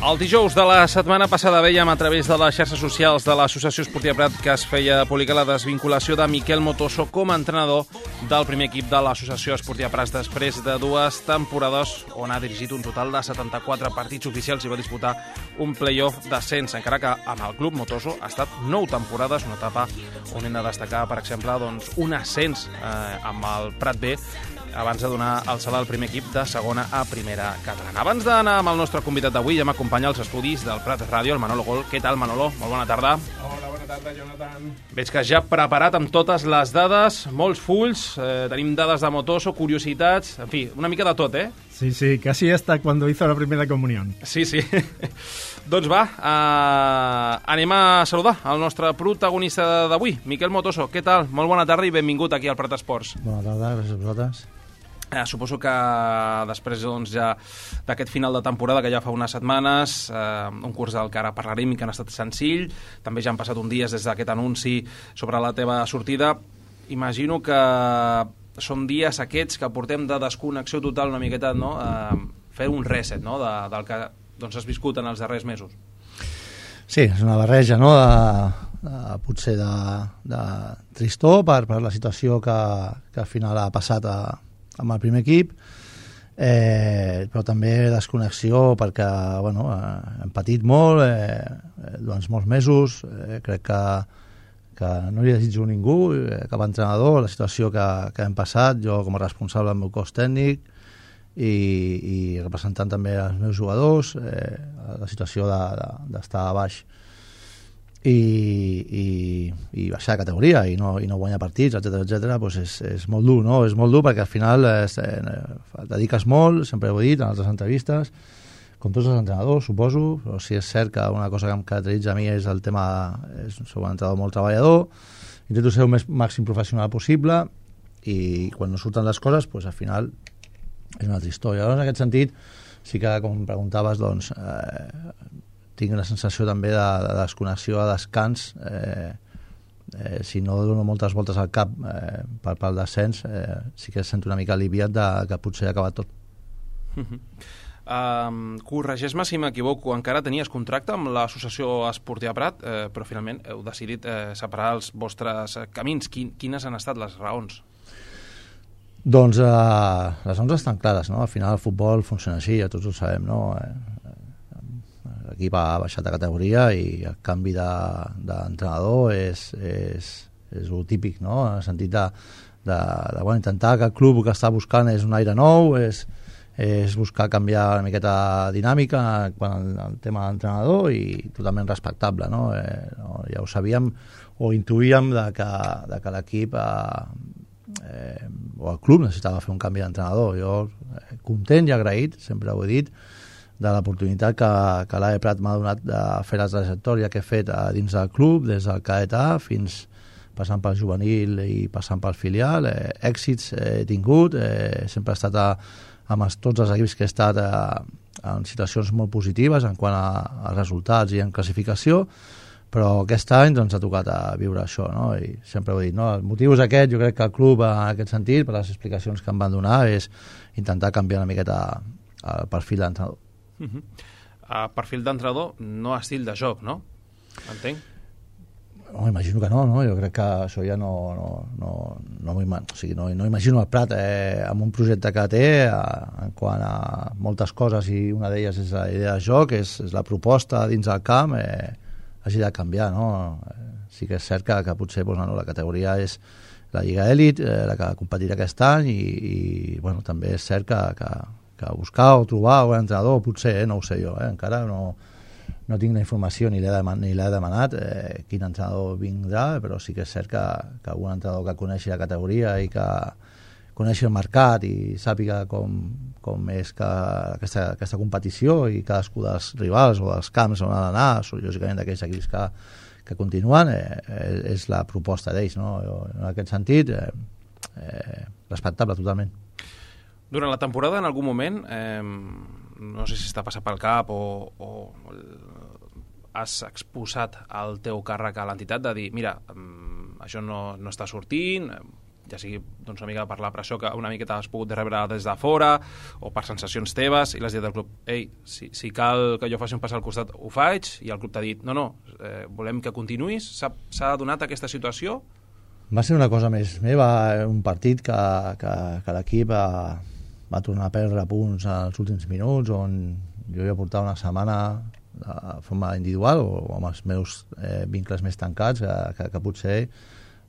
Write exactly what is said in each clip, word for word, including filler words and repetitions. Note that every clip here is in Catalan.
El dijous de la setmana passada veiem a través de les xarxes socials de l'Associació Esportiva Prat que es feia pública la desvinculació de Miquel Motoso com a entrenador del primer equip de l'Associació Esportiva Prat després de dues temporades on ha dirigit un total de setanta-quatre partits oficials i va disputar un play-off d'ascens, encara que amb el club Motoso ha estat nou temporades, una etapa on hem de destacar, per exemple, doncs, un ascens eh, amb el Prat B abans de donar el salt al primer equip de segona a primera catalana. Abans d'anar amb el nostre convidat d'avui, ja m'acompanya als estudis del Prat Ràdio, el Manolo Gol. Què tal, Manolo? Molt bona tarda. Hola, bona tarda, Jonathan. Veig que ja preparat amb totes les dades, molts fulls, eh, tenim dades de Motoso, curiositats, en fi, una mica de tot, eh? Sí, sí, casi hasta cuando hizo la primera comunión. Sí, sí. Doncs va, eh, anem a saludar el nostre protagonista d'avui, Miquel Motoso. Què tal? Molt bona tarda i benvingut aquí al Prat Esports. Bona tarda, gràcies a vosaltres. Eh, suposo que després doncs, ja d'aquest final de temporada que ja fa unes setmanes, eh, un curs del que ara parlarem i que no ha estat senzill, també ja han passat un dies des d'aquest anunci sobre la teva sortida. Imagino que són dies aquests que portem de desconnexió total una miqueta, no? Eh, fer un reset, no? de, del que doncs, has viscut en els darrers mesos. Sí, és una barreja, no? de, de, potser de, de tristor per, per la situació que, que al final ha passat a amb el primer equip, eh, però també desconnexió perquè bueno, eh, hem patit molt eh, durant molts mesos, eh, crec que, que no li desitjo a ningú, eh, cap entrenador, la situació que, que hem passat, jo com a responsable del meu cos tècnic i, i representant també els meus jugadors, eh, la situació de, de, d'estar a baix i, i, i baixar de categoria i no, i no guanyar partits, etcètera, etcètera, doncs és, és molt dur, no? És molt dur perquè al final és, eh, et dediques molt, sempre ho he dit en altres entrevistes, com tots els entrenadors, suposo, però sí és cert que una cosa que em caracteritza a mi és el tema, és, soc un entrenador molt treballador, intento ser el més màxim professional possible i quan no surten les coses, doncs al final és una altra història. Llavors, en aquest sentit, sí que, com em preguntaves, doncs, eh, tinc la sensació també de, de desconnexió a descans, eh, eh, si no dono moltes voltes al cap eh, pel, pel descens, eh, sí que sento una mica aliviat de, que potser ha acabat tot. Uh -huh. um, corregeix-me si m'equivoco, encara tenies contracte amb l'Associació Esportiva Prat, eh, però finalment heu decidit eh, separar els vostres camins. Quin, quines han estat les raons? Doncs eh, les raons estan clares, no? Al final el futbol funciona així, ja tots ho sabem, no? Eh, l'equip ha baixat de categoria i el canvi d'entrenador de, és, és, és el típic, no? En el sentit de, de, de bueno, intentar que el club el que està buscant és un aire nou, és, és buscar canviar una miqueta dinàmica quan el, el tema de l'entrenador i totalment respectable, no? Eh, no? Ja ho sabíem o intuïem de que, de que l'equip eh, eh, o el club necessitava fer un canvi d'entrenador. Jo eh, content i agraït, sempre ho he dit, de l'oportunitat que, que l'A E Prat m'ha donat de fer la trajectòria que he fet a dins del club, des del cadet A fins passant pel juvenil i passant pel filial. Eh, èxits he tingut, eh, sempre he estat a, amb els, tots els equips que he estat a, en situacions molt positives en quant a, a resultats i en classificació, però aquest any doncs, ha tocat a viure això, no? I sempre ho he dit, no? El motiu és aquest, jo crec que el club en aquest sentit, per les explicacions que em van donar, és intentar canviar una miqueta el perfil d'entrenador. Uh -huh. uh, perfil d'entrenador, no estil de joc, no? Entenc? No, imagino que no, no? Jo crec que això ja no, no, no, no, o sigui, no, no imagino el Prat eh, amb un projecte que té eh, en quant a moltes coses i una d'elles és la idea de joc, és, és la proposta dins del camp, eh, hagi de canviar, no? Eh, sí que és cert que, que potser doncs, no, la categoria és la Lliga Elit, eh, la que competirà aquest any i, i bueno, també és cert que, que que buscar o trobar un entrenador, potser, eh, no ho sé jo, eh, encara no, no tinc la informació ni l'he demanat, ni l'he demanat eh, quin entrenador vindrà, però sí que és cert que, que un entrenador que coneixi la categoria i que coneixi el mercat i sàpiga com, com és que aquesta, aquesta competició i cadascú dels rivals o dels camps on ha d'anar, lògicament d'aquells equips que, que continuen, eh, eh, és la proposta d'ells, no? Jo, en aquest sentit, eh, eh, respectable totalment. Durant la temporada, en algun moment, eh, no sé si està passat pel cap o, o has exposat el teu càrrec a l'entitat de dir, mira, això no, no està sortint, ja sigui doncs, una mica per la pressió que una miqueta has pogut rebre des de fora o per sensacions teves, i l'has dit al club, ei, si, si cal que jo faci un pas al costat, ho faig, i el club t'ha dit, no, no, eh, volem que continuïs. S'ha donat aquesta situació? Va ser una cosa més meva, un partit que, que, que l'equip va, va tornar a perdre punts als últims minuts, on jo ja portava una setmana de forma individual o amb els meus eh, vincles més tancats, que, que, que potser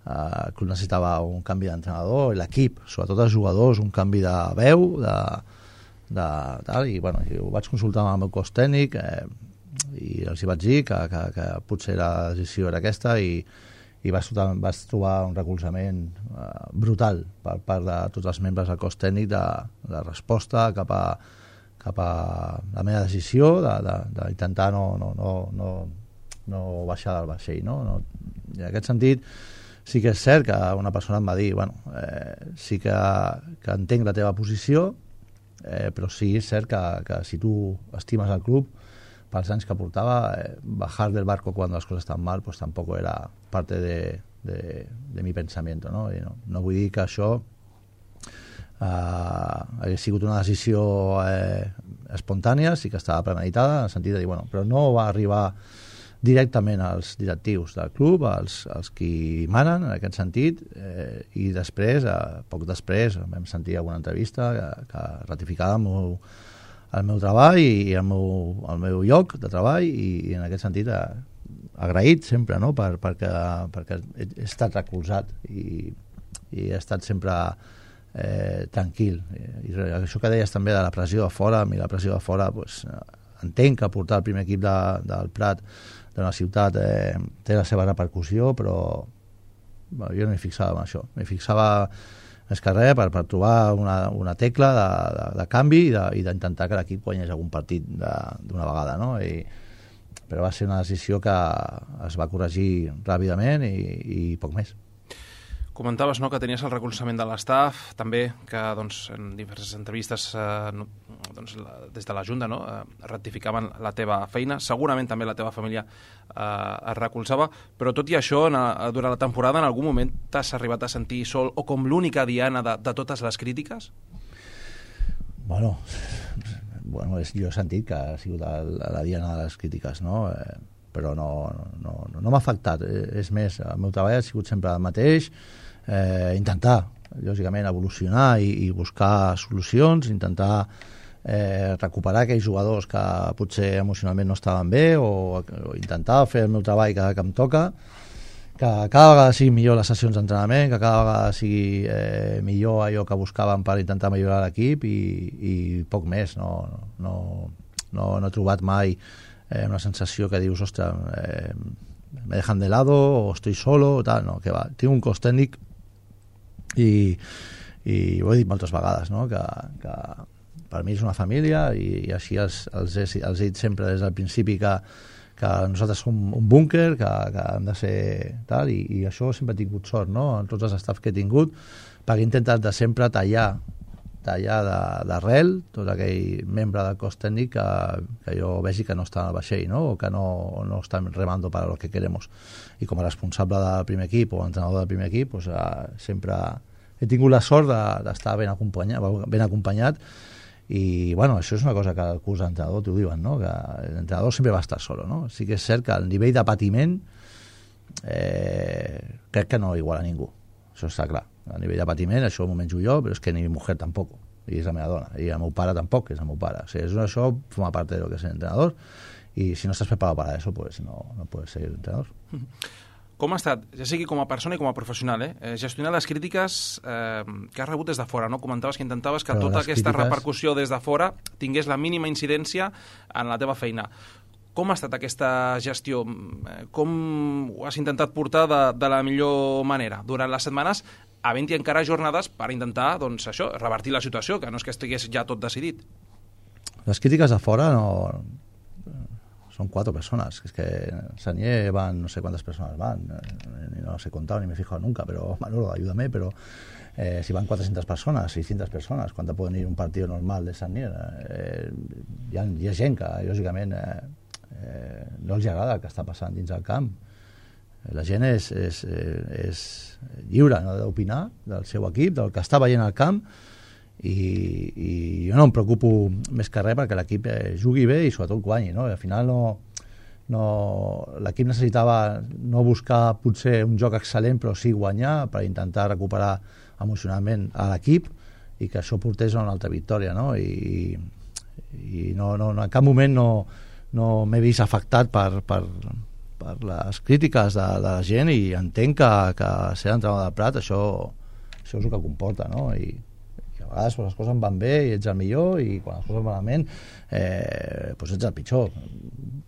Uh, el club necessitava un canvi d'entrenador, l'equip, sobretot els jugadors, un canvi de veu, de, de tal, i bueno, jo ho vaig consultar amb el meu cos tècnic eh, i els hi vaig dir que, que, que potser la decisió era aquesta, i, i vaig, vaig trobar un recolzament uh, brutal per part de tots els membres del cos tècnic de, de resposta cap a, cap a la meva decisió d'intentar no, no, no, no, no baixar del vaixell, no? No, i en aquest sentit sí que és cert que una persona em va dir, bueno, eh, sí que, que entenc la teva posició, eh, però sí és cert que, que si tu estimes el club, pels anys que portava, eh, bajar del barco cuando las cosas están mal, pues tampoco era parte de, de, de mi pensamiento, ¿no? I no, no vull dir que això eh, hagués sigut una decisió eh, espontània, sí que estava premeditada, en el sentit de dir, bueno, però no va arribar directament als directius del club, als, als qui manen en aquest sentit, eh, i després, eh, poc després, vam sentir alguna entrevista que, que ratificava el meu, el meu treball i el meu, el meu lloc de treball, i, i en aquest sentit eh, agraït sempre, no? per, perquè, perquè he, he estat recolzat i, i he estat sempre eh, tranquil. I, i això que deies també de la pressió de fora, a mi la pressió de fora, pues, entenc que portar el primer equip de, del Prat d'una ciutat eh, té la seva repercussió, però bueno, jo no m'hi fixava en això. M'hi fixava més que res per, per trobar una, una tecla de, de, de canvi i d'intentar que l'equip guanyés algun partit d'una vegada, no? I, però va ser una decisió que es va corregir ràpidament i, i poc més. Comentaves, no, que tenies el recolzament de l'estaf, també que doncs, en diverses entrevistes eh, no, doncs, la, des de la Junta, no, eh, ratificaven la teva feina, segurament també la teva família eh, es recolzava, però tot i això, en, a, durant la temporada, en algun moment t'has arribat a sentir sol o com l'única diana de, de totes les crítiques? Bueno, bueno, jo he sentit que ha sigut la, la diana de les crítiques, no? Eh, però no, no, no, no m'ha afectat. És més, el meu treball ha sigut sempre el mateix, eh, intentar, lògicament, evolucionar i, i buscar solucions, intentar eh, recuperar aquells jugadors que potser emocionalment no estaven bé, o, o intentar fer el meu treball que, que em toca, que cada vegada sigui millor les sessions d'entrenament, que cada vegada sigui eh, millor allò que buscàvem per intentar millorar l'equip, i, i poc més. No, no, no, no he trobat mai eh, una sensació que dius, ostres, eh, me dejan de lado o estoy solo o tal, no, que va, tinc un cos tècnic i, i ho he dit moltes vegades, no? que, que per mi és una família, i, i així els, els, he, els he dit sempre des del principi que, que nosaltres som un búnquer, que, que hem de ser tal, i, i això sempre he tingut sort, no? En tots els staffs que he tingut, perquè he intentat de sempre tallar tallar d'arrel tot aquell membre del cos tècnic que, que jo vegi que no està al vaixell, no? O que no, no estan remando para lo que queremos. I com a responsable del primer equip o entrenador del primer equip, pues, uh, sempre he tingut la sort d'estar de, ben, acompanyat, ben acompanyat, i bueno, això és una cosa que el curs d'entrenador t'ho diuen, no? Que l'entrenador sempre va estar solo, no? Sí que és cert que el nivell de patiment eh, crec que no iguala a ningú, això està clar. A nivell de patiment, això m'ho menjo jo, però és que ni mi mujer tampoc, i és la meva dona, i el meu pare tampoc, és el meu pare. O sigui, això forma part de lo que és entrenador, i si no estàs preparat para eso, pues no, no puedes ser entrenador. Com ha estat, ja sigui com a persona i com a professional, eh? gestionar les crítiques eh, que has rebut des de fora, no? Comentaves que intentaves que però tota aquesta crítiques... repercussió des de fora tingués la mínima incidència en la teva feina. Com ha estat aquesta gestió? Com ho has intentat portar de, de la millor manera durant les setmanes, havent-hi encara jornades per intentar, doncs, això, revertir la situació, que no és que estigués ja tot decidit? Les crítiques de fora no... Son cuatro personas, es que en Sanier van, no sé cuántas personas van, ni no las he contado ni me he fijado nunca, pero Manolo, ayúdame, pero eh, si van cuatrocientas personas, seiscientas personas, ¿cuánto pueden ir un partido normal de Sanier? Eh, hi, ha, hi ha gent que, lògicament, eh, eh, no els agrada el que està passant dins del camp. la gent és, és, és lliure, no?, d'opinar del seu equip, del que està veient al camp, i, i jo no em preocupo més que res perquè l'equip eh, jugui bé i sobretot guanyi, no? I al final no, no, l'equip necessitava no buscar potser un joc excel·lent però sí guanyar per intentar recuperar emocionalment a l'equip i que això portés a una altra victòria, no? I, i no, no, no, en cap moment no, no m'he vist afectat per, per, per les crítiques de, de la gent, i entenc que, que ser entrenador del Prat això, això és el que comporta, no? I, i a vegades pues, les coses van bé i ets el millor, i quan les coses van malament eh, pues ets el pitjor.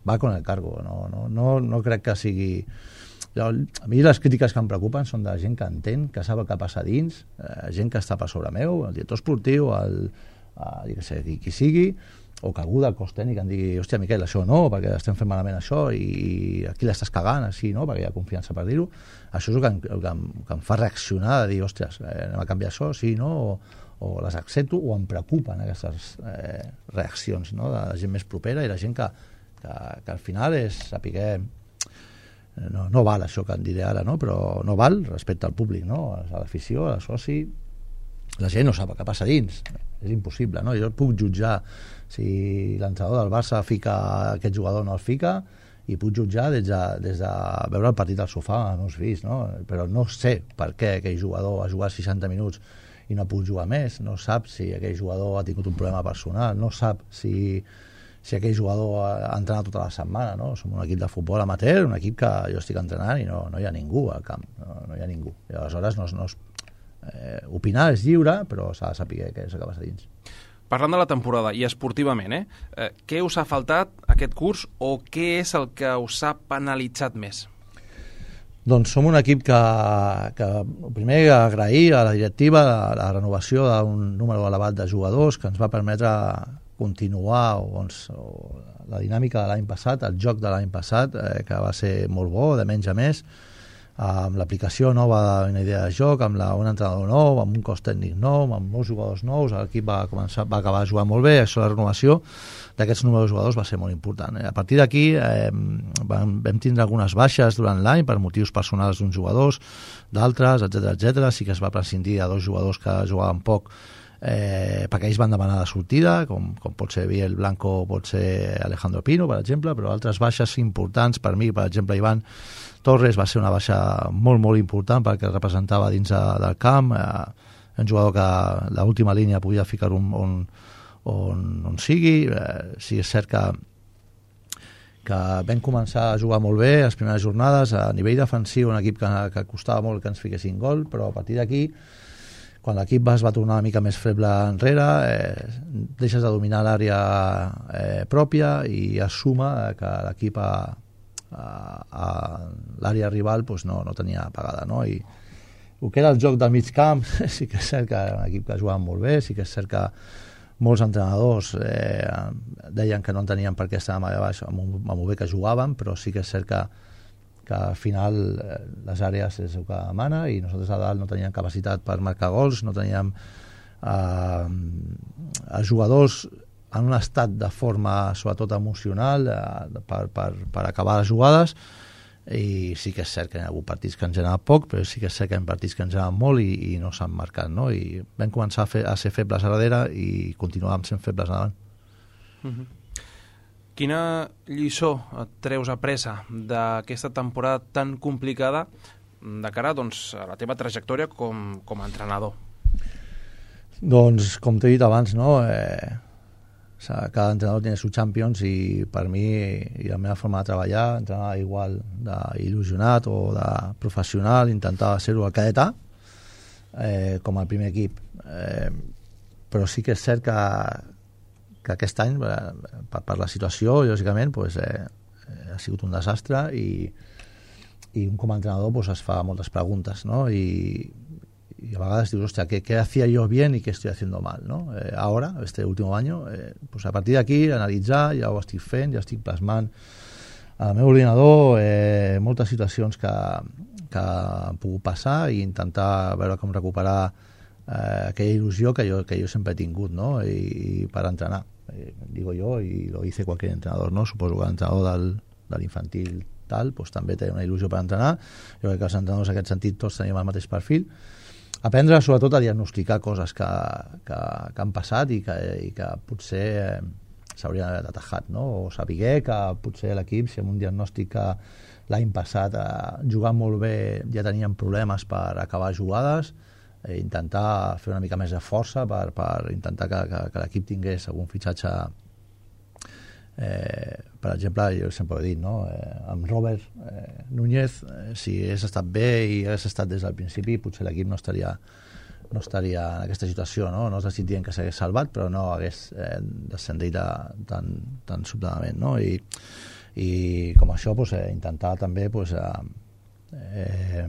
Va con el cargo, no, no, no, no crec que sigui... A mi les crítiques que em preocupen són de gent que entén, que sap el que passa dins, eh, gent que està per sobre meu, el director esportiu, el, el, jo què sé, qui, qui sigui, o que algú del cos tècnic em digui, hòstia, Miquel, això no, perquè estem fent malament això, i aquí l'estàs cagant, així, no?, perquè hi ha confiança per dir-ho. Això és el que, em, el que, em, que em fa reaccionar, de dir, hòstia, eh, anem a canviar això, sí, no?, o, o les accepto, o em preocupen aquestes eh, reaccions, no?, de la gent més propera i la gent que, que, que al final és saber... No, no val això que en diré ara, no? Però no val respecte al públic, no? A l'afició, a la soci, la gent no sap el que passa dins, és impossible, no? Jo puc jutjar si l'entrenador del Barça fica aquest jugador o no el fica, i puc jutjar des de, des de veure el partit al sofà amb els fills, no? Però no sé per què aquell jugador ha jugat seixanta minuts i no puc jugar més, no sap si aquell jugador ha tingut un problema personal, no sap si si aquell jugador ha entrenat tota la setmana, no? Som un equip de futbol amateur, un equip que jo estic entrenant i no, no hi ha ningú al camp, no, no hi ha ningú. I aleshores no, no es, eh, opinar és lliure, però s'ha de saber què és el que passa dins. Parlant de la temporada i esportivament, eh, eh, què us ha faltat aquest curs o què és el que us ha penalitzat més? Doncs som un equip que, que primer agrair a la directiva la, la renovació d'un número elevat de jugadors que ens va permetre continuar o, doncs, o la dinàmica de l'any passat, el joc de l'any passat, eh, que va ser molt bo, de menys a més, amb l'aplicació nova d'una idea de joc, amb la, un entrenador nou, amb un cos tècnic nou, amb molts jugadors nous, l'equip va, començar, va acabar jugant molt bé, això, la renovació d'aquests números de jugadors va ser molt important. A partir d'aquí eh, vam, vam tindre algunes baixes durant l'any per motius personals d'uns jugadors, d'altres, etcètera, etcètera. Sí que es va prescindir de dos jugadors que jugaven poc, eh, perquè ells van demanar la sortida, com, com pot ser Biel Blanco o pot ser Alejandro Pino, per exemple, però altres baixes importants per mi, per exemple, Ivan Torres va ser una baixa molt, molt important perquè representava dins de, del camp, eh, un jugador que l'última línia podia ficar on, on, on, on sigui. Eh, sí, és cert que que vam començar a jugar molt bé les primeres jornades, a nivell defensiu, un equip que, que costava molt que ens fiquessin gol, però a partir d'aquí, quan l'equip es va tornar una mica més feble enrere, eh, deixes de dominar l'àrea eh, pròpia i es suma que l'equip a, a, a l'àrea rival pues no, no tenia pagada, no? I el que era el joc del mig camp, sí que és cert que era un equip que jugava molt bé, sí que és cert que molts entrenadors eh, deien que no entenien per què estàvem allà baix amb, un, amb el bé que jugàvem, però sí que és cert que, que al final eh, les àrees és el que mana i nosaltres a dalt no teníem capacitat per marcar gols, no teníem eh, els jugadors en un estat de forma sobretot emocional eh, per, per, per acabar les jugades, i sí que és cert que hi ha hagut partits que ens han anat poc, però sí que és cert que hi ha partits que ens han anat molt i, i no s'han marcat, no? I vam començar a, fer, a ser febles a darrere i continuàvem sent febles endavant. Uh-huh. Quina lliçó et treus apresa d'aquesta temporada tan complicada de cara, doncs, a la teva trajectòria com, com a entrenador? Doncs, com t'he dit abans, no? Eh, cada entrenador tiene sus champions i per mi i la meva forma de treballar, entrenar igual d'il·lusionat o de professional, intentar ser-ho al cadetà eh, com al primer equip. Eh, però sí que és cert que, que aquest any, per, per la situació, lògicament, pues, eh, ha sigut un desastre i, i un com a entrenador pues, es fa moltes preguntes, no? I, y a vegades digo, hostia, ¿qué, ¿qué hacía yo bien y qué estoy haciendo mal, ¿no? Eh, ahora, este último año, eh, pues a partir d'aquí, analitzar, ja ho estic fent, ja estic plasmant al meu ordinador eh, moltes situacions que, que han pogut passar i intentar veure com recuperar eh, aquella il·lusió que jo, que jo sempre he tingut, no? I, i per entrenar, eh, digo yo, y lo dice cualquier entrenador, ¿no? Suposo que l'entrenador del, de l'infantil tal, doncs també té una il·lusió per entrenar. Jo crec que els entrenadors en aquest sentit tots tenim el mateix perfil. Aprendre sobretot a diagnosticar coses que, que, que han passat i que, i que potser eh, s'haurien d'haver atajat, no? O saber que potser l'equip, si amb un diagnòstic que l'any passat eh, jugant molt bé ja tenien problemes per acabar jugades, eh, intentar fer una mica més de força per, per intentar que, que, que l'equip tingués algun fitxatge. Eh, per exemple, jo sempre ho he dit, no? eh, amb Robert eh, Núñez, eh, si hagués estat bé i hagués estat des del principi, potser l'equip no estaria, no estaria en aquesta situació, no? No estic dient que s'hagués salvat, però no hagués eh, descendit de, tan, tan sobtadament, no? I, i com això pues, eh, intentar també pues, eh, eh,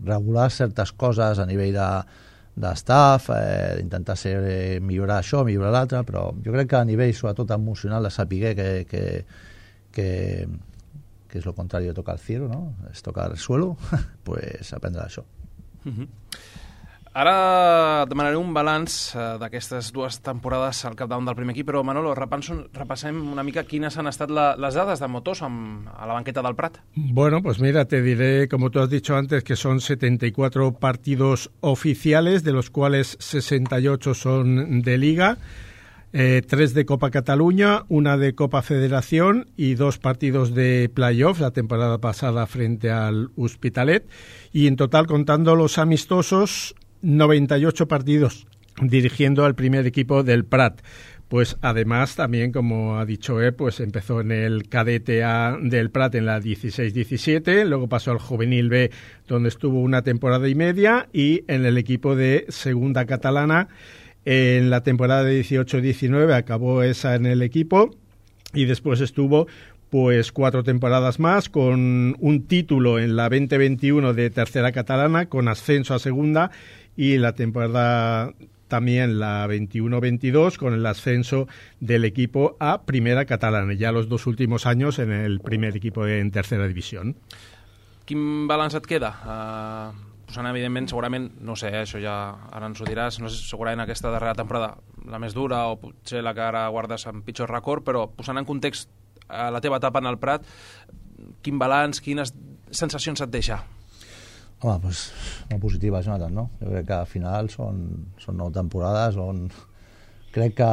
regular certes coses a nivell de d'estaff, eh, intentar ser, eh, millorar això, millorar l'altre, però jo crec que a nivell sobretot emocional de saber que, que, que, que és lo contrari de tocar el cielo, ¿no? Es tocar el suelo, pues aprendre això. Uh-huh. Ara et demanaré un balanç eh, d'aquestes dues temporades al capdavant del primer equip, però Manolo, repasso, repassem una mica quines han estat la, les dades de Motoso amb, a la banqueta del Prat. Bueno, pues mira, te diré, como tú has dicho antes, que son setenta y cuatro partidos oficiales, de los cuales sesenta y ocho son de Liga, eh, tres de Copa Cataluña, una de Copa Federación y dos partidos de playoff la temporada pasada frente al Hospitalet, y en total, contando los amistosos, noventa y ocho partidos dirigiendo al primer equipo del Prat. Pues además también, como ha dicho él, pues empezó en el cadete A del Prat en la dieciséis diecisiete, luego pasó al juvenil B donde estuvo una temporada y media, y en el equipo de segunda catalana en la temporada de dieciocho diecinueve acabó esa en el equipo, y después estuvo pues cuatro temporadas más con un título en la veinte veintiuno de tercera catalana con ascenso a segunda, y la temporada también la veintiuno veintidós con el ascenso del equipo a primera catalana, ya los dos últimos años en el primer equipo en tercera división. Quin balanç et queda? Uh, posant, evidentment, segurament, no sé, eh, això ja ara ens ho diràs, no sé, segurament aquesta darrera temporada la més dura o potser la que ara guardes amb pitjor record, però posant en context uh, la teva etapa en el Prat, quin balanç, quines sensacions et deixa? Home, doncs, molt positiva, Jonathan, no? Jo crec que al final són, són nou temporades on crec que,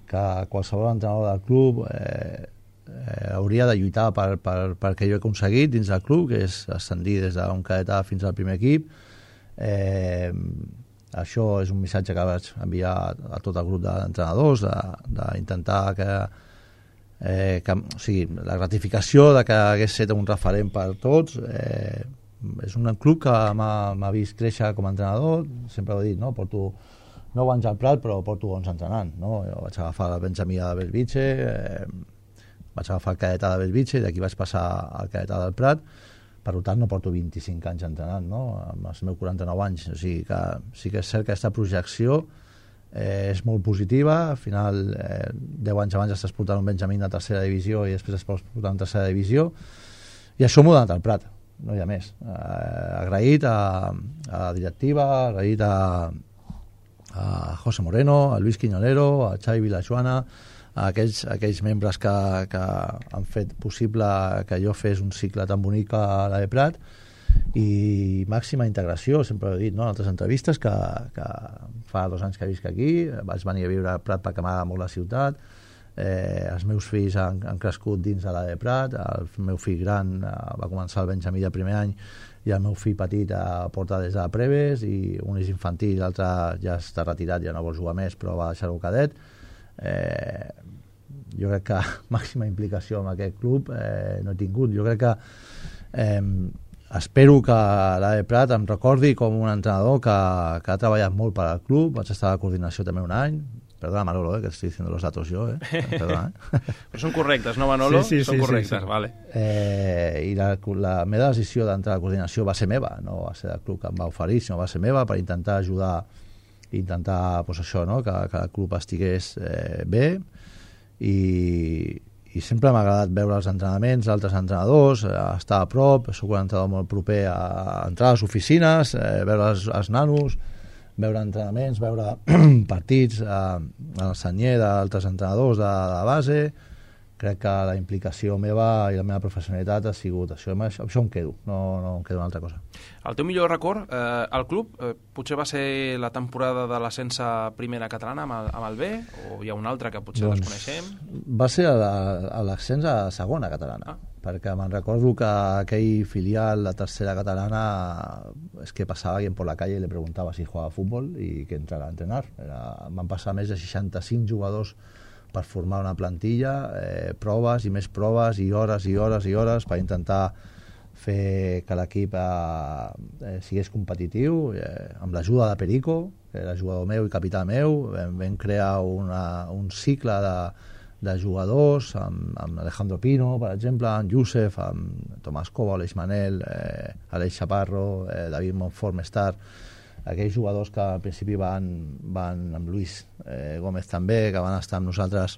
que qualsevol entrenador del club eh, eh, hauria de lluitar per, per, per que jo he aconseguit dins del club, que és ascendir des d'un cadet A fins al primer equip. Eh, això és un missatge que vaig enviar a tot el grup d'entrenadors, d'intentar que, eh, que, o sigui, la gratificació de que hagués estat un referent per tots. Eh, és un club que m'ha vist créixer com a entrenador, sempre ho he dit, no? Porto nou anys al Prat, però porto onze entrenant, no? Jo vaig agafar la Benjamí de Belvitge, eh, vaig agafar el cadetà de Belvitge i d'aquí vaig passar al cadetà del Prat, per tant no porto vint-i-cinc anys entrenant, no? Amb els meus quaranta-nou anys, o sigui que sí que és cert que aquesta projecció eh, és molt positiva. Al final eh, deu anys abans estàs portant un Benjamí de tercera divisió i després es pots portar en tercera divisió, i això m'ho ha donat al Prat, no hi ha més. Eh, agraït a, a la directiva, agraït a, a José Moreno, a Luis Quiñonero, a Xavi Vilajoana, a aquells, a aquells membres que, que han fet possible que jo fes un cicle tan bonic a la de Prat, i màxima integració, sempre ho he dit, no? En altres entrevistes, que, que fa dos anys que visc aquí, vaig venir a viure a Prat perquè m'agrada molt la ciutat. Eh, els meus fills han, han crescut dins de la de Prat, el meu fill gran eh, va començar el Benjamí de primer any i el meu fill petit eh, porta des de Preves, i un és infantil, l'altre ja està retirat, ja no vol jugar més però va deixar-ho cadet. Eh, jo crec que màxima implicació en aquest club eh, no he tingut. Jo crec que eh, espero que la de Prat em recordi com un entrenador que, que ha treballat molt per al club. Vaig estar a la coordinació també un any. Perdona, Manolo, eh, que estoy diciendo los datos yo, eh. Perdona, eh. Però són correctes, no, Manolo? Sí, sí, són sí, correctes, sí, sí. Vale. Eh, I la, la meva decisió d'entrar a la coordinació va ser meva, no va ser del club que em va oferir, sinó va ser meva per intentar ajudar, intentar, pues això, no?, que, que el club estigués eh, bé, i, i sempre m'ha agradat veure els entrenaments d'altres entrenadors, eh, estar a prop, soc un entrenador molt proper a, a entrar a les oficines, eh, veure els, els nanos, veure entrenaments, veure partits eh, en el senyer d'altres entrenadors de, de base, crec que la implicació meva i la meva professionalitat ha sigut això, això, això em quedo, no, no em quedo una altra cosa. El teu millor record eh, al club eh, potser va ser la temporada de l'ascens a primera catalana amb el, amb el B, o hi ha una altra que potser doncs, desconeixem? Va ser l'ascens a segona catalana, ah. perquè me'n recordo que aquell filial, la tercera catalana, és que passava alguien por la calle i le preguntava si jugava a futbol i que entrara a entrenar. Era, van passar més de seixanta-cinc jugadors per formar una plantilla, eh, proves i més proves i hores i hores i hores per intentar fer que l'equip eh, sigués competitiu, eh, amb l'ajuda de Perico, que era jugador meu i capità meu. Vam, vam crear una, un cicle de, de jugadors amb, amb Alejandro Pino, per exemple, amb Youssef, amb Tomàs Cova, Aleix Manel, eh, Aleix Chaparro, eh, David Montfort més tard, aquells jugadors que al principi van, van amb Luis eh, Gómez també, que van estar amb nosaltres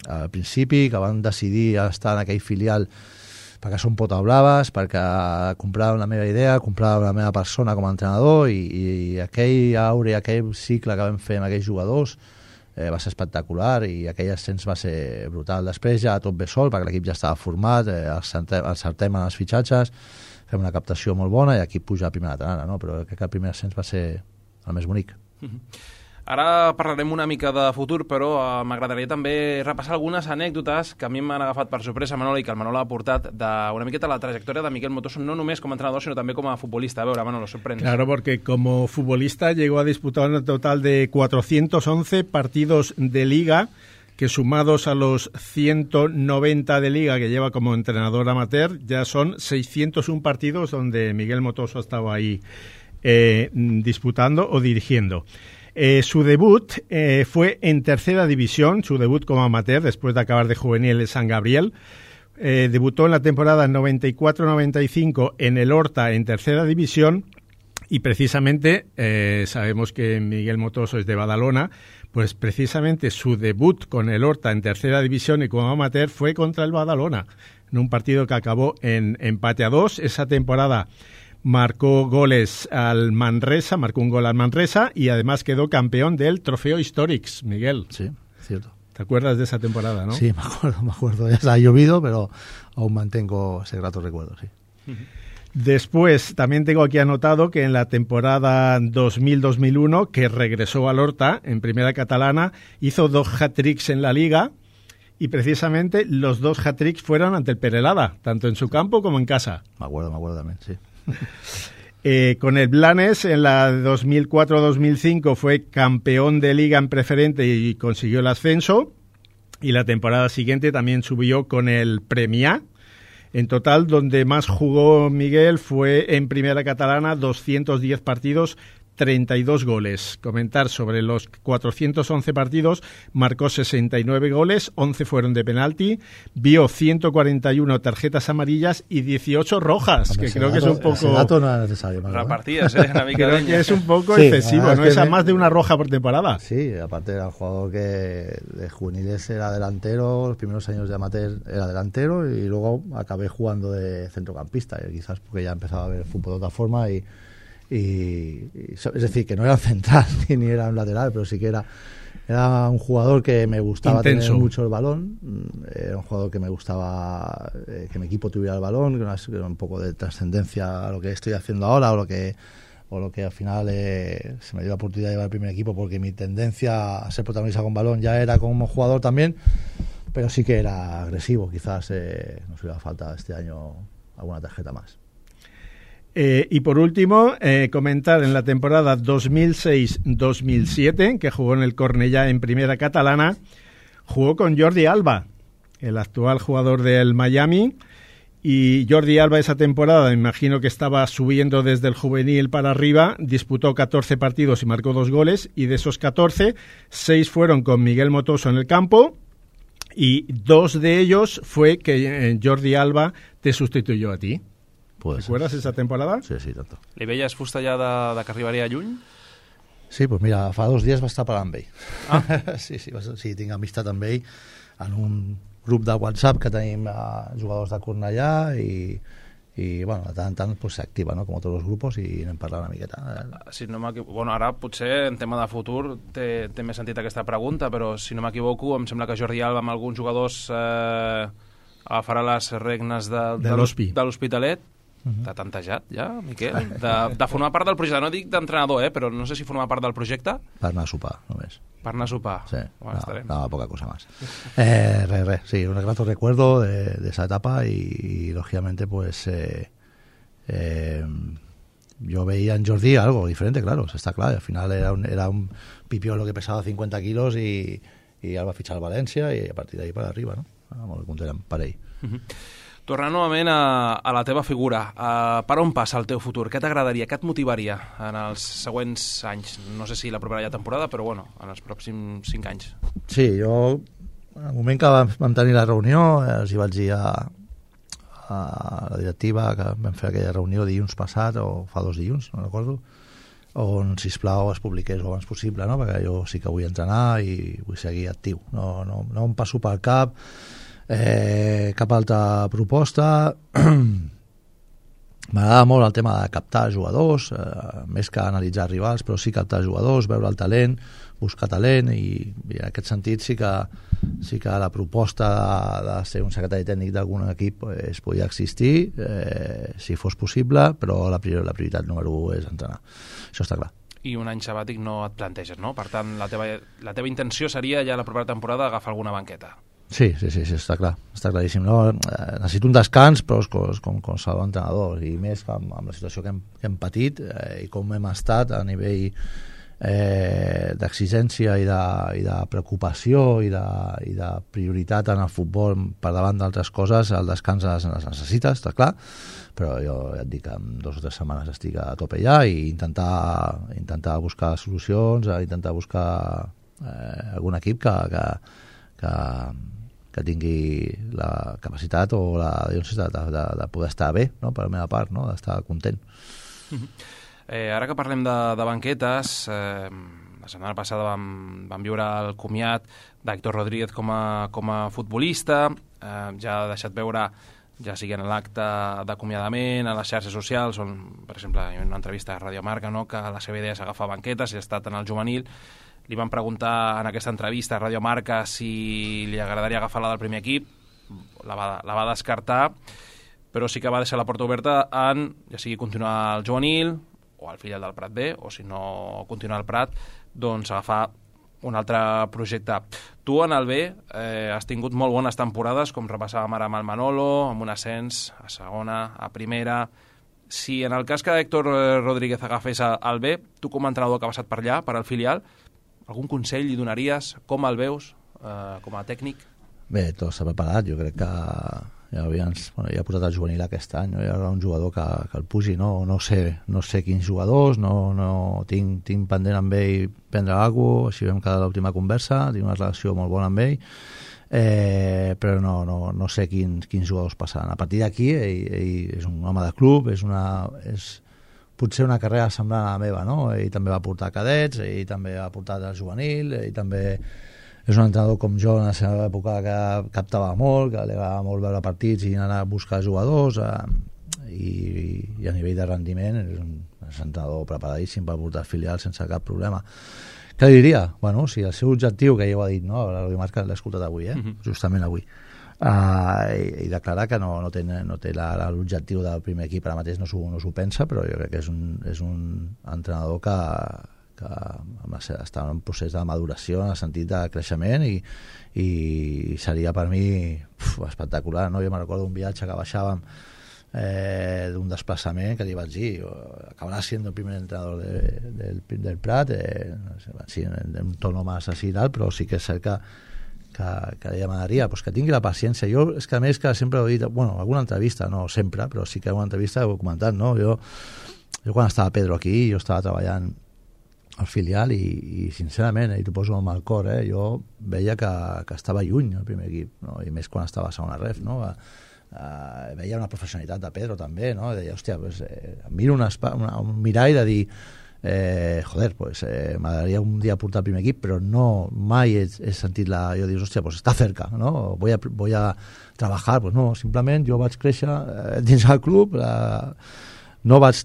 al principi, que van decidir estar en aquell filial perquè són pota braves, perquè compraven la meva idea, compraven la meva persona com a entrenador, i, i aquell aure, aquell cicle que vam fer amb aquells jugadors eh, va ser espectacular, i aquell ascens va ser brutal. Després ja tot ve sol, perquè l'equip ja estava format, eh, encertem en els fitxatges, fem una captació molt bona i aquí puja a primera catalana, no? Però crec que el primer ascens va ser el més bonic. Mm-hmm. Ara parlarem una mica de futur, però uh, m'agradaria també repassar algunes anècdotes que a mi m'han agafat per sorpresa, Manolo, i que el Manolo ha portat d'una miqueta la trayectoria de Miquel Motoso, no només com a entrenador, sino també com a futbolista. A veure, Manolo, sorprende. Claro, porque como futbolista llegó a disputar un total de cuatrocientos once partidos de Liga, que sumados a los ciento noventa de Liga que lleva como entrenador amateur, ya son seiscientos uno partidos donde Miguel Motoso estaba ahí eh, disputando o dirigiendo. Eh, su debut eh, fue en tercera división, su debut como amateur después de acabar de juvenil en San Gabriel. Eh, debutó en la temporada noventa y cuatro noventa y cinco en el Horta en tercera división, y precisamente eh, sabemos que Miguel Motoso es de Badalona, pues precisamente su debut con el Horta en tercera división y como amateur fue contra el Badalona, en un partido que acabó en empate a dos. Esa temporada marcó goles al Manresa, marcó un gol al Manresa y además quedó campeón del Trofeo Historics, Miguel. Sí, cierto. ¿Te acuerdas de esa temporada, no? Sí, me acuerdo, me acuerdo. Ya se ha llovido, pero aún mantengo ese grato recuerdo, sí. Después, también tengo aquí anotado que en la temporada dos mil dos mil uno, que regresó al Horta en primera catalana, hizo dos hat-tricks en la Liga, y precisamente los dos hat-tricks fueron ante el Perelada, tanto en su campo como en casa. Me acuerdo, me acuerdo también, sí. Eh, con el Blanes en la dos mil cuatro dos mil cinco fue campeón de Liga en preferente y consiguió el ascenso, y la temporada siguiente también subió con el Premià. En total, donde más jugó Miguel fue en primera catalana, doscientos diez partidos, treinta y dos goles. Comentar sobre los cuatrocientos once partidos, marcó sesenta y nueve goles, once fueron de penalti, vio ciento cuarenta y uno tarjetas amarillas y dieciocho rojas, Hombre, que creo dato, que es un poco... Ese dato no es necesario. Repartidas, ¿eh? Una mica creo que es un poco sí, excesivo, ¿no? Es, que es a me... más de una roja por temporada. Sí, aparte era un jugador que de juveniles era delantero, los primeros años de amateur era delantero, y luego acabé jugando de centrocampista, y quizás porque ya empezaba a ver el fútbol de otra forma, y Y, y, es decir, que no era central ni era un lateral, pero sí que era, era un jugador que me gustaba Intenso. Tener mucho el balón, era un jugador que me gustaba eh, que mi equipo tuviera el balón, que era un poco de trascendencia a lo que estoy haciendo ahora, o lo que o lo que al final eh, se me dio la oportunidad de llevar el primer equipo, porque mi tendencia a ser protagonista con balón ya era como jugador también, pero sí que era agresivo. Quizás eh, nos hubiera falta este año alguna tarjeta más. Eh, y por último, eh, comentar en la temporada dos mil seis dos mil siete, que jugó en el Cornellà en primera catalana, jugó con Jordi Alba, el actual jugador del Miami, y Jordi Alba esa temporada, me imagino que estaba subiendo desde el juvenil para arriba, disputó catorce partidos y marcó dos goles, y de esos catorce, seis fueron con Miguel Motoso en el campo, y dos de ellos fue que eh, Jordi Alba te sustituyó a ti. Pues, ¿Recuerdas esa temporada? Sí, sí, tanto. Li veies fusta ja de, de que arribaria lluny? Sí, doncs mira, fa dos dies va estar parlant amb ell. Ah. sí, sí, sí, tinc amistat amb ell en un grup de WhatsApp que tenim eh, jugadors de Cornellà, i, i bueno, de tant en tant pues, s'activa, no? Com tots els grups, i anem parlant una miqueta. Si no bueno, ara potser en tema de futur té, té més sentit aquesta pregunta, però si no m'equivoco em sembla que Jordi Alba amb alguns jugadors eh, agafarà les regnes de, de, de l'Hospitalet. Uh-huh. T'ha tantejat ja, Miquel? De, de formar part del projecte, no dic d'entrenador, eh, però no sé si formar part del projecte. Per anar a sopar, només. Per anar a sopar. Sí, bueno, no, no, poca cosa más. Eh, re, re, sí, un grato recuerdo de, de esa etapa y, y lógicamente, pues, eh, eh, yo veía en Jordi algo diferente, claro, está claro. Al final era un, era un pipiolo que pesaba cincuenta kilos y, y Alba fichar al València i a partir d'ahí per arriba, no? Molt content amb per ell. Uh-huh. Tornant novament a, a la teva figura, uh, per on passa el teu futur? Què t'agradaria, què et motivaria en els següents anys? No sé si la propera ja temporada, però bueno, en els pròxims cinc anys. Sí, jo, en el moment que vam tenir la reunió, els hi vaig dir a, a la directiva que vam fer aquella reunió dilluns passat, o fa dos dilluns, no recordo, on, sisplau, es publiqués el abans possible, no? Perquè jo sí que vull entrenar i vull seguir actiu. No, no, no em passo pel cap Eh, cap altra proposta. M'agrada molt el tema de captar jugadors, eh, més que analitzar rivals, però sí captar jugadors, veure el talent, buscar talent, i, i en aquest sentit sí que, sí que la proposta de, de ser un secretari tècnic d'algun equip es podia existir, eh, si fos possible, però la, prior, la prioritat número un és entrenar. Això està clar. I un any sabàtic no et planteges, no? Per tant, la teva, la teva intenció seria ja la propera temporada agafar alguna banqueta. Sí, sí, sí, sí, està clar, està claríssim. No? Necessito un descans, però com, com qualsevol entrenador, i més amb, amb la situació que hem, que hem patit eh, i com hem estat a nivell eh, d'exigència i, de, i de preocupació i de, i de prioritat en el futbol per davant d'altres coses, el descans les, les necessites, està clar, però jo ja et dic que en dues o tres setmanes estic a tope ja, i intentar, intentar buscar solucions, intentar buscar eh, algun equip que, que, que que tingui la capacitat o la de, de, de poder estar bé, no? Per la meva part, no? D'estar content. Uh-huh. Eh, ara que parlem de, de banquetes, eh, la setmana passada vam, vam viure el comiat d'Héctor Rodríguez com a, com a futbolista, eh, ja ha deixat veure, ja sigui en l'acte d'acomiadament, a les xarxes socials, on, per exemple, en una entrevista a Radio Marca, no? Que la seva idea és agafar banquetes, i ha estat en el juvenil. Li van preguntar en aquesta entrevista a Radio Marca si li agradaria agafar la del primer equip, la va, la va descartar, però sí que va deixar la porta oberta en, ja sigui continuar al juvenil o al filial del Prat B, o si no continuar al Prat, doncs agafar un altre projecte. Tu en el B eh, has tingut molt bones temporades, com repassàvem ara amb el Manolo, amb un ascens a segona, a primera. Si en el cas que Héctor Rodríguez agafés el B, tu com a entrenador que ha passat per allà, per al filial, algun consell li donaries? Com el veus eh, com a tècnic? Bé, tot s'ha preparat. Jo crec que ja, havies, bueno, ja ha posat el juvenil aquest any, no? Hi ha un jugador que, que el pugi, no, no, sé, no sé quins jugadors, no, no tinc, tinc pendent amb ell prendre alguna cosa, així vam quedar l'última conversa, tinc una relació molt bona amb ell, eh, però no, no, no sé quins, quins jugadors passaran. A partir d'aquí, ell, ell és un home de club, és una... És, potser una carrera semblant a la meva, no? Ell també va portar cadets, ell també va portar el juvenil, ell també és un entrenador com jo en la seva època que captava molt, que li agradava molt veure partits i anar a buscar jugadors, eh, i, i a nivell de rendiment és un, és un entrenador preparadíssim per portar filial sense cap problema. Què li diria? Bueno, si el seu objectiu, que ja ho ha dit, no? La Marca l'he escoltat avui, eh? Uh-huh. Justament avui. Uh, i, i declarar que no, no té, no té l'objectiu del primer equip ara mateix, no s'ho no pensa, però jo crec que és un, és un entrenador que, que amb la, està en un procés de maduració en el sentit de creixement, i, i seria per mi uf, espectacular, no? Jo me'n recordo un viatge que baixàvem eh, d'un desplaçament que li vaig dir acabarà sent el primer entrenador de, del, del Prat, eh, no sé, sí, en un tono més així i tal, però sí que és cert que que, que li demanaria pues, que tingui la paciència. Jo, és que a més que sempre ho he dit, bueno, alguna entrevista, no sempre, però sí que en una entrevista ho he comentat, no? Jo, jo quan estava Pedro aquí, jo estava treballant al filial i, i sincerament, i t'ho poso amb el cor, eh, jo veia que, que estava lluny el primer equip, no? I més quan estava a segona ref, no? Uh, veia una professionalitat de Pedro també, no? I deia, hòstia, pues, eh, miro una, una, un mirall de dir eh, joder, pues eh, m'agradaria un dia portar el primer equip, però no, mai he, he sentit la... Jo dius, hòstia, pues està cerca, no? Voy a, voy a trabajar, pues no, simplement jo vaig créixer eh, dins el club, la, no vaig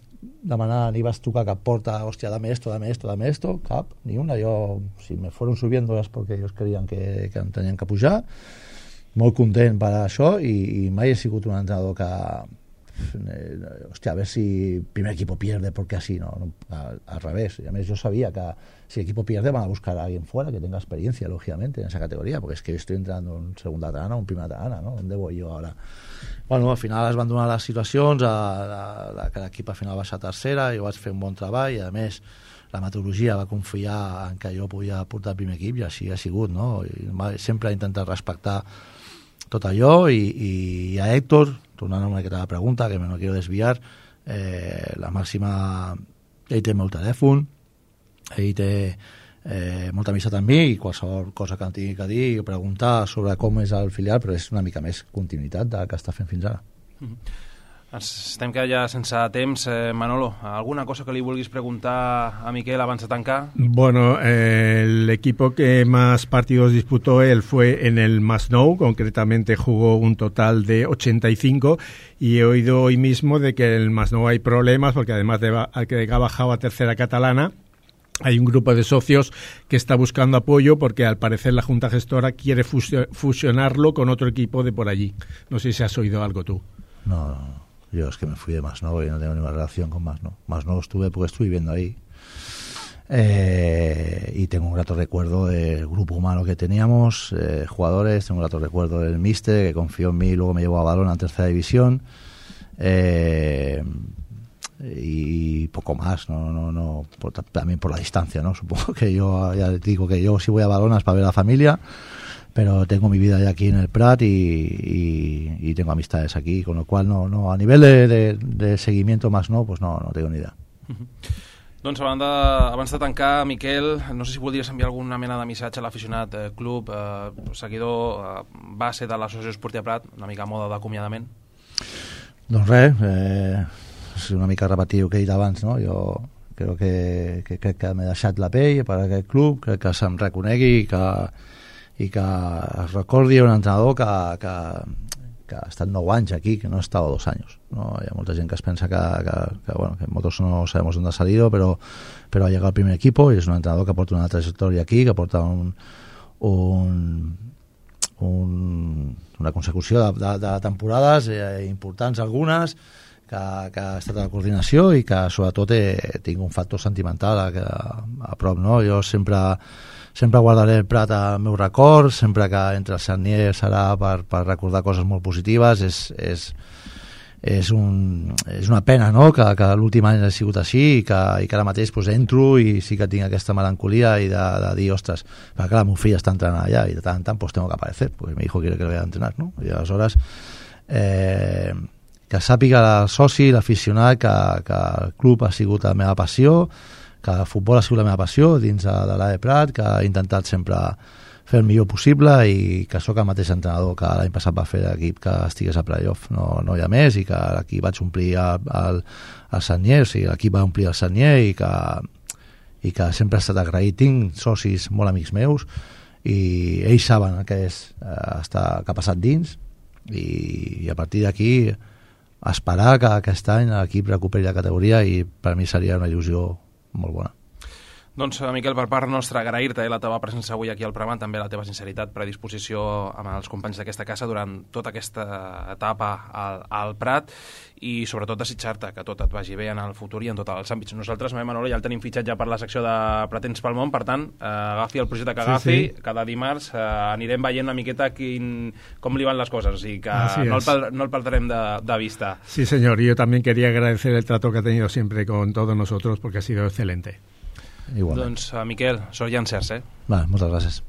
demanar ni vaig tocar cap porta, hòstia, dame esto, dame esto, dame esto, cap, ni una. Jo, si me fueron subiendo és perquè ells creien que, que em tenien que pujar, molt content per això, i, i mai he sigut un entrenador que eh, hostia, a ver si primer equipo pierde porque así, no, no al, al revés. Y a mí yo sabía que si el equipo pierde van a buscar a alguien fuera que tenga experiencia, lógicamente, en esa categoría, porque es que yo estoy entrando en segunda tana o en primera tana, ¿no? ¿Dónde voy yo ahora? Bueno, al final es van donar les situacions, a, a, a, que l'equip al final va ser tercera, jo vaig fer un bon treball, i a més la metodologia va confiar en que jo podia portar el primer equip, i així ha sigut, no? I sempre he intentat respectar tot allò, i, i a Héctor, tornant a una miqueta a la pregunta, que me no quiero desviar, eh, la màxima, ell té el meu telèfon, ell té eh, molta amistat amb mi, i qualsevol cosa que em tingui que dir o preguntar sobre com és el filial, però és una mica més continuïtat del que està fent fins ara. Mm-hmm. Estem que ja sense temps. eh, Manolo, alguna cosa que li vulguis preguntar a Miquel abans de tancar? Bueno, eh, el equipo que más partidos disputó él fue en el Masnou, concretamente jugó un total de ochenta y cinco, y he oído hoy mismo de que en el Masnou hay problemas, porque además de que ha bajado a tercera catalana, hay un grupo de socios que está buscando apoyo porque al parecer la Junta Gestora quiere fusionarlo con otro equipo de por allí. No sé si has oído algo tú. No, no, no. Yo es que me fui de Masnou y no tengo ninguna relación con Masnou. Masnou estuve porque estuve viviendo ahí. Eh, y tengo un grato recuerdo del grupo humano que teníamos, eh, jugadores, tengo un grato recuerdo del míster que confió en mí y luego me llevó a Balón a tercera división. Eh, y poco más, no, no, no, por, también por la distancia, ¿no? Supongo que yo, ya digo que yo si voy a Balón es para ver a la familia, pero tengo mi vida ya aquí en el Prat y, y, y tengo amistades aquí, con lo cual no, no a nivel de, de, de seguimiento más no, pues no, no tengo ni idea. Uh-huh. Doncs abans de, abans de tancar, Miquel, no sé si voldries enviar alguna mena de missatge a l'aficionat, eh, club, eh, seguidor, eh, base de l'Associació Esportiva Prat, una mica a moda d'acomiadament. Doncs res, eh, és una mica repetir el que he dit abans, no? Jo crec que, que, crec que m'he deixat la pell per aquest club, crec que se'm reconegui que i que es recordi un entrenador que, que, que ha estat nou anys aquí, que no ha estado dos anys, ¿no? Hi ha molta gent que es pensa que, que, que, bueno, que nosotros no sabemos dónde ha salido, pero, pero ha llegado al primer equipo y es un entrenador que aporta una trayectoria aquí, que aporta un, un, un, una consecució de, de, de temporades eh, importants algunes, que, que ha estat a la coordinació i que sobretot he, tinc un factor sentimental a, a, a prop, no? Jo sempre sempre guardaré el Prat al meu record, sempre que entre els Sarniers serà per, per recordar coses molt positives. És, és, és, un, és una pena, no?, que, que l'últim any ha sigut així i que, i que ara mateix pues, entro i sí que tinc aquesta melancolia i de, de dir, ostres, perquè clar, el meu fill està entrenant allà i de tant en tant pues, tengo que aparecer, porque mi hijo quiere que le vaya a entrenar, ¿no? I aleshores eh, que sàpiga el soci, l'aficionat, que, que el club ha sigut la meva passió, que el futbol ha sigut la meva passió dins de, de l'A E Prat, que he intentat sempre fer el millor possible i que sóc el mateix entrenador que l'any passat va fer l'equip que estigués a playoff, no, no hi ha més, i que aquí vaig omplir el, el, el Sarnier, o sigui, l'equip va omplir el Sarnier i que, i que sempre he estat agraït. Tinc socis molt amics meus i ells saben què és eh, estar, que ha passat dins i, i a partir d'aquí esperar que aquest any l'equip recuperi la categoria i per mi seria una il·lusió molt bona. Doncs, Miquel, per part nostra, agrair-te la teva presència avui aquí al programa, també la teva sinceritat, predisposició amb els companys d'aquesta casa durant tota aquesta etapa al, al Prat i sobretot desitjar-te que tot et vagi bé en el futur i en tots els àmbits. Nosaltres, Manolo, ja el tenim fitxat ja per la secció de Pratens pel món, per tant, eh, agafi el projecte que agafi, sí, sí. Cada dimarts eh, anirem veient una miqueta quin, com li van les coses, o sigui que no el, no el perdrem de, de vista. Sí, señor, y yo también quería agradecer el trato que ha tenido siempre con todos nosotros porque ha sido excelente. Igualment. Doncs, uh, Miquel, sort i encerts, eh? Va, moltes gràcies.